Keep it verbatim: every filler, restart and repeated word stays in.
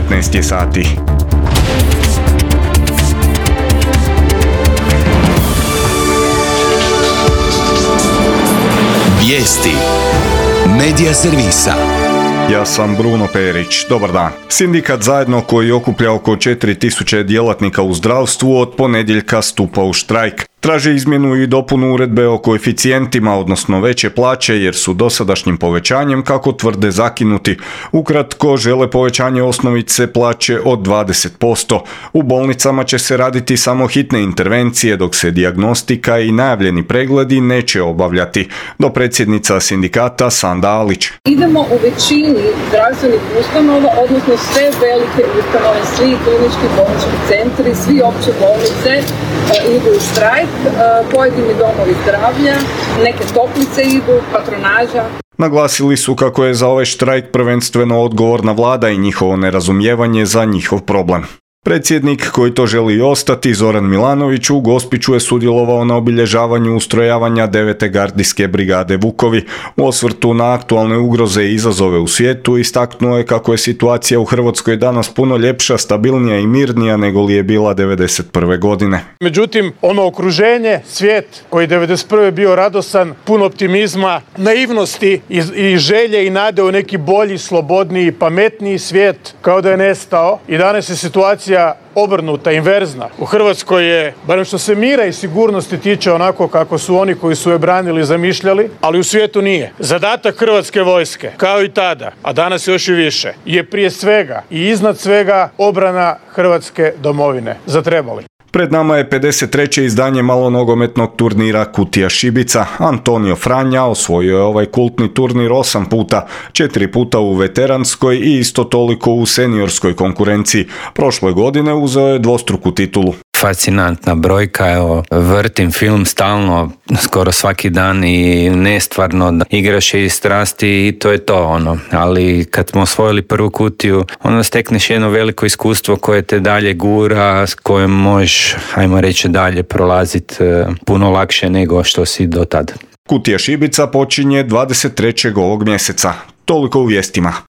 devetnaest je sati. Vijesti Medija servisa. Ja sam Bruno Perić. Dobar dan. Sindikat Zajedno, koji okuplja oko četiri tisuće djelatnika u zdravstvu, od ponedjeljka stupa u štrajk. Traže izmjenu i dopunu uredbe o koeficijentima, odnosno veće plaće, jer su dosadašnjim povećanjem, kako tvrde, zakinuti. Ukratko, žele povećanje osnovice plaće od dvadeset posto. U bolnicama će se raditi samo hitne intervencije, dok se dijagnostika i najavljeni pregledi neće obavljati. Dopredsjednica sindikata Sanda Alić. Idemo u većini zdravstvenih ustanova, odnosno sve velike ustanove, svi klinički bolnički centri, svi opće bolnice idu u štrajk. Pojedini domovi zdravlja, neke toplice idu, patronaža. Naglasili su kako je za ovaj štrajk prvenstveno odgovorna vlada i njihovo nerazumijevanje za njihov problem. Predsjednik, koji to želi i ostati, Zoran Milanović, u Gospiću je sudjelovao na obilježavanju ustrojavanja devete gardijske brigade Vukovi. U osvrtu na aktualne ugroze i izazove u svijetu istaknuo je kako je situacija u Hrvatskoj danas puno ljepša, stabilnija i mirnija nego li je bila devedeset prve godine. Međutim, ono okruženje, svijet koji devedeset prve bio radosan, pun optimizma, naivnosti i, i želje i nade u neki bolji, slobodniji, pametniji svijet, kao da je nestao. I danas je situacija obrnuta, inverzna. U Hrvatskoj je, barem što se mira i sigurnosti tiče, onako kako su oni koji su je branili zamišljali, ali u svijetu nije. Zadatak Hrvatske vojske, kao i tada, a danas još i više, je prije svega i iznad svega obrana Hrvatske domovine. Zatrebali. Pred nama je pedeset treće izdanje malonogometnog turnira Kutija Šibica. Antonio Franja osvojio je ovaj kultni turnir osam puta, četiri puta u veteranskoj i isto toliko u seniorskoj konkurenciji. Prošle godine uzeo je dvostruku titulu. Fascinantna brojka, evo, vrtim film stalno, skoro svaki dan i nestvarno, da igraš je iz strasti i to je to, ono. Ali kad smo osvojili prvu kutiju, onda stekneš jedno veliko iskustvo koje te dalje gura, s kojim možeš, ajmo reći, dalje prolaziti puno lakše nego što si do tada. Kutija Šibica počinje dvadeset trećeg ovog mjeseca. Toliko u vijestima.